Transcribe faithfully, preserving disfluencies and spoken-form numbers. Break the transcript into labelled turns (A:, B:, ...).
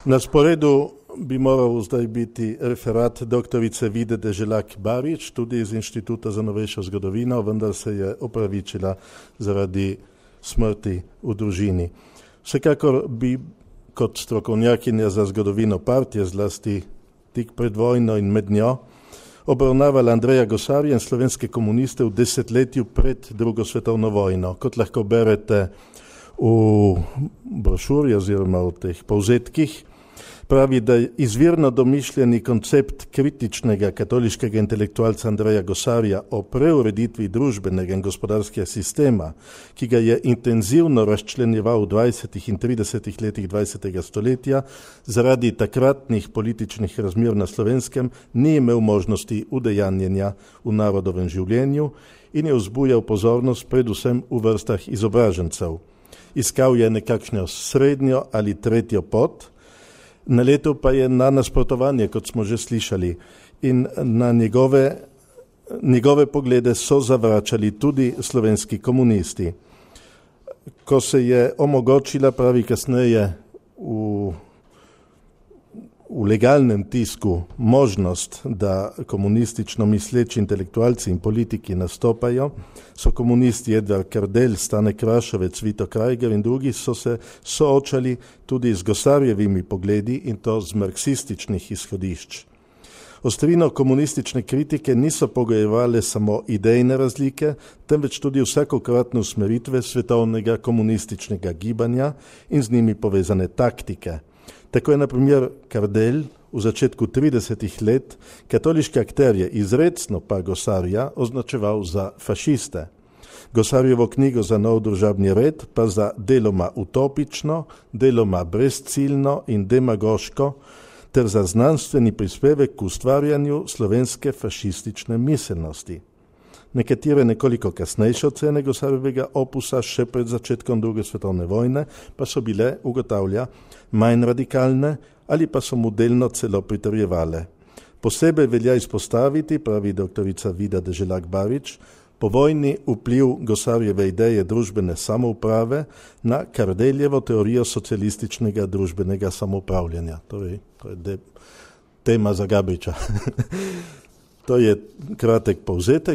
A: Na sporedu bi moral zdaj biti referat doktorice Vide Deželak-Barič, tudi iz Inštituta za novejšo zgodovino, vendar se je opravičila zaradi smrti v družini. Vsekakor bi kot strokovnjakinja za zgodovino partije, zlasti tik pred vojno in med njo, obravnavala Andreja Gosarja in slovenske komuniste v desetletju pred drugo svetovno vojno. Kot lahko berete v brošuri oziroma v teh povzetkih, pravi, da je izvirno domišljeni koncept kritičnega katoliškega intelektualca Andreja Gosarja o preureditvi družbenega in gospodarskega sistema, ki ga je intenzivno razčlenjeval v dvajsetih in tridesetih letih dvajsetega stoletja, zaradi takratnih političnih razmer na Slovenskem ni imel možnosti udejanjenja v narodovem življenju in je vzbujal pozornost predvsem v vrstah izobražencev. Iskal je nekakšno srednjo ali tretjo pot, naletel pa je na nasprotovanje, kot smo že slišali, in na njegove, njegove poglede so zavračali tudi slovenski komunisti. Ko se je omogočila, pravi kasneje, v, v legalnem tisku možnost, da komunistično misleči intelektualci in politiki nastopajo, so komunisti Edvard Kardelj, Stane Krašovec, Vito Krajger in drugi so se soočali tudi z Gosarjevimi pogledi in to z marksističnih izhodišč. Ostrino komunistične kritike niso pogojevale samo idejne razlike, temveč tudi vsakokratne usmeritve svetovnega komunističnega gibanja in z njimi povezane taktike. Tako je na primer Kardelj v začetku tridesetih let katoliške akterje, izrecno pa Gosarja, označeval za fašiste. Gosarjevo knjigo Za nov družabni red pa za deloma utopično, deloma brezciljno in demagoško, ter za znanstveni prispevek k ustvarjanju slovenske fašistične miselnosti. Nekatere nekoliko kasnejše ocene Gosarjevega opusa še pred začetkom druge svetovne vojne pa so bile, ugotavlja, manj radikalne ali pa so mu delno celo pritrjevale. Posebej velja izpostaviti, pravi doktorica Vida Deželak-Barič, povojni vpliv Gosarjeve ideje družbene samouprave na Kardeljevo teorijo socialističnega družbenega samoupravljanja. Torej, to je de, tema za Gabriča. To je kratek povzetek.